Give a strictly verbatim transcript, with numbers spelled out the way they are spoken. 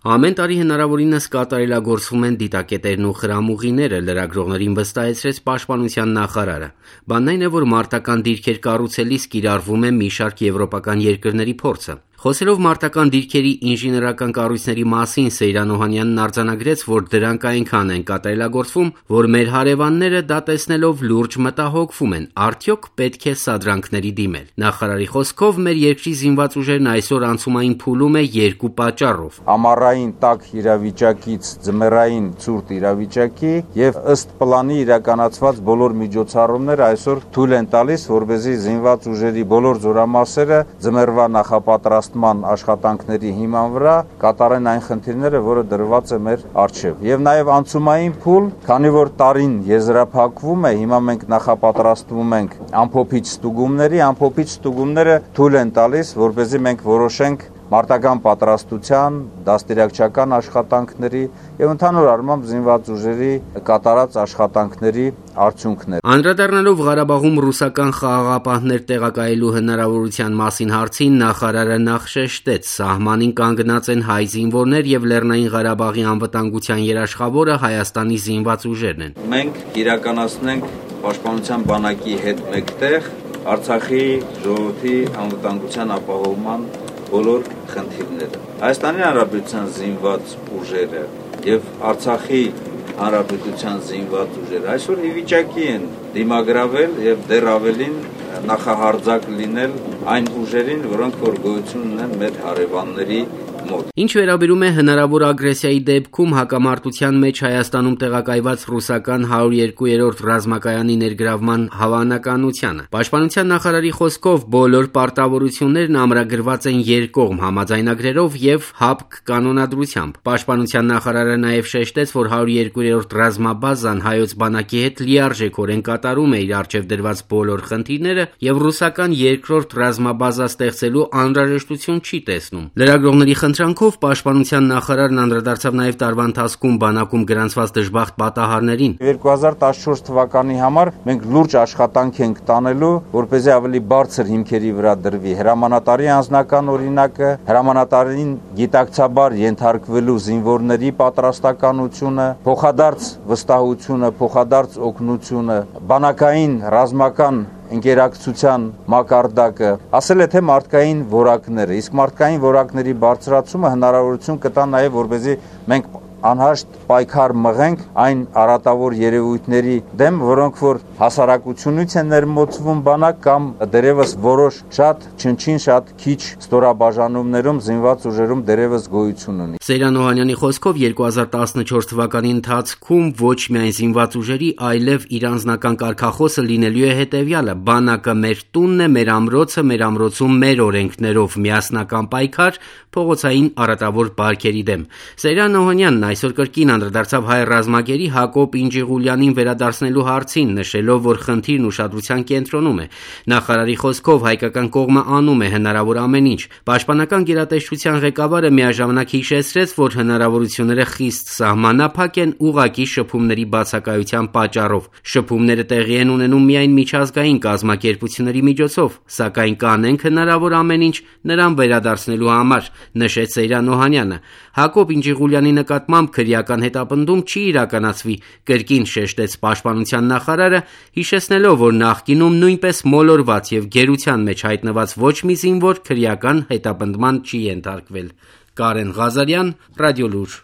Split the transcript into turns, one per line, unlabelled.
Ամեն տարի հնարավորինս կատարելագործվում են դիտակետերն ու խրամուղիները, լրագրողներին վստահեցրեց Պաշտպանության նախարարը։ Բանն այն է, որ մարտական դիրքեր կառուցելիս կիրառվում է մի շարք եվրոպական երկրների փորձը։ Խոսելով մարտական դիրքերի ինժեներական կառույցների մասին, Սեյրան Օհանյանն արձանագրեց, որ դրանք այնքան են կատարելագործվում, որ մեր հարևանները դա տեսնելով լուրջ մտահոգվում են, արդյոք պետք է սադրանքների դիմել։ Նախարարի խոսքով, մեր երկրի զինված ուժերն այսօր անցումային փուլում է երկու պատճառով։
Ամառային տաք իրավիճակից ձմեռային ցուրտ իրավիճակի եւ ըստ պլանի իրականացված բոլոր միջոցառումները այսօր թույլ են տալիս, որպեսզի զինված ուժերի բոլոր զորամասերը ձմեռվա նախապատրաստման աշխատանքների հիման վրա կատարեն այն խնդիրները, որը դրված է մեր առջև։ Եվ նաեւ անցումային փուլ, քանի որ տարին եզրափակվում է, հիմա մենք նախապատրաստվում ենք ամփոփիչ ստուգումների, ամփոփիչ ստուգումները թույլ են տալիս, որպեսզի մենք որոշենք մարտական պատրաստության, դաստիարակչական աշխատանքների եւ ընդհանուր առմամբ զինված ուժերի կատարած աշխատանքների արդյունքներ։
Անդրադառնալով Ղարաբաղում ռուսական խաղաղապահներ տեղակայելու հնարավորության մասին հարցին, նախարարը նախ շեշտեց, սահմանին կանգնած են հայ զինվորներ եւ Լեռնային Ղարաբաղի անվտանգության երաշխավորը Հայաստանի զինված ուժերն են։
Մենք կիրականացնենք Պաշտպանության բանակի հետ մեկտեղ Արցախի ժողովրդի անվտանգության ապահովման բոլոր խնդիրները։ Հայաստանի Հանրապետության զինված ուժերը եւ Արցախի Հանրապետության զինված ուժերը այսօր ի վիճակի են դիմագրավել եւ դեռ ավելին նախահարձակ լինել այն ուժերին, որոնք որ գոյություն ունեն մեր հարևանների մոտ։
Ինչ վերաբերում է հնարավոր ագրեսիայի դեպքում հակամարտության մեջ Հայաստանում տեղակայված ռուսական հարյուր երկու-րդ ռազմակայանի ներգրավման հավանականությանը, Պաշտպանության նախարարի խոսքով բոլոր պարտավորություններն ամրագրված են երկկողմ համաձայնագրերով եւ ՀԱՊԿ կանոնադրությամբ։ Պաշտպանության նախարարը նաեւ շեշտեց, որ հարյուր երկու-րդ ռազմաբազան հայոց բանակի հետ լիարժեքորեն կատարում է իր առջև դրված բոլոր խնդիրները եւ ռուսական երկրորդ ռազմաբազա ստեղծելու անհրաժեշտություն չի տեսնում։ Լրագրողների խնդրանքով Պաշտպանության նախարարն անդրադարձավ նաև տարվա ընթացքում բանակում գրանցված դժբախտ պատահարներին։
երկու հազար տասնչորս թվականի համար մենք լուրջ աշխատանք ենք տանելու, որպեսզի ավելի բարձր հիմքերի վրա դրվի հրամանատարի անձնական օրինակը, հրամանատարին գիտակցաբար ենթարկվելու զինվորների պատրաստականությունը, փոխադարձ վստահությունը, փոխադարձ օգնությունը, բանակային ռազմական ընկերակցության մակարդակը, ասել է թե մարդկային որակները, իսկ մարդկային որակների բարձրացումը հնարավորություն կտա նաև, որպեսզի մենք անհաշտ պայքար մղենք այն արատավոր երևույթների դեմ, որոնք որ հասարակությունից են ներմոծվում բանակ կամ դերևս որոշ շատ չնչին շատ քիչ ստորաբաժանումներում զինված ուժերում դերևս գոյություն ունի։
Սեյրան Օհանյանի խոսքով երկու հազար տասնչորս թվականի ընթացքում ոչ միայն զինված ուժերի, այլև իր անձնական կարգախոսը լինելու է հետևյալը. բանակը մեր տունն է, մեր ամրոցը, մեր ամրոցում մեր օրենքներով միասնական պայքար փողոցային արատավոր բարքերի դեմ։ Սեյրան Օհանյանն այսօր կրկին անդրադարձավ հայ ռազմագերի Հակոբ Ինջիղուլյանին վերադարձնելու հարցին, նշելով, որ խնդիրն ուշադրության կենտրոնում է։ Նախարարի խոսքով հայկական կողմը անում է հնարավոր ամեն ինչ։ Պաշտպանական գերատեսչության ղեկավարը միաժամանակ հիշեցրեց, որ հնարավորությունները խիստ սահմանափակ են ուղղակի շփումների բացակայության պատճառով։ Շփումները տեղի են ունենում միայն միջազգային կազմակերպությունների միջոցով, սակայն կանենք հնարավոր ամեն ինչ նրան վերադարձնելու համար, նշեց Սեյրան Օհանյանը։ Հակոբ Ինջիղուլյանի նկատմամբ քրեական հետապնդում չի իրականացվի, կրկին շեշտեց Պաշտպանության նախարարը, հիշեցնելով, որ նախկինում նույնպես մոլորված եւ գերության մեջ հայտնված ոչ մի զինվոր քրեական հետապնդման չի ենթարկվել։ Կարեն Ղազարյան, Ռադիոլուր։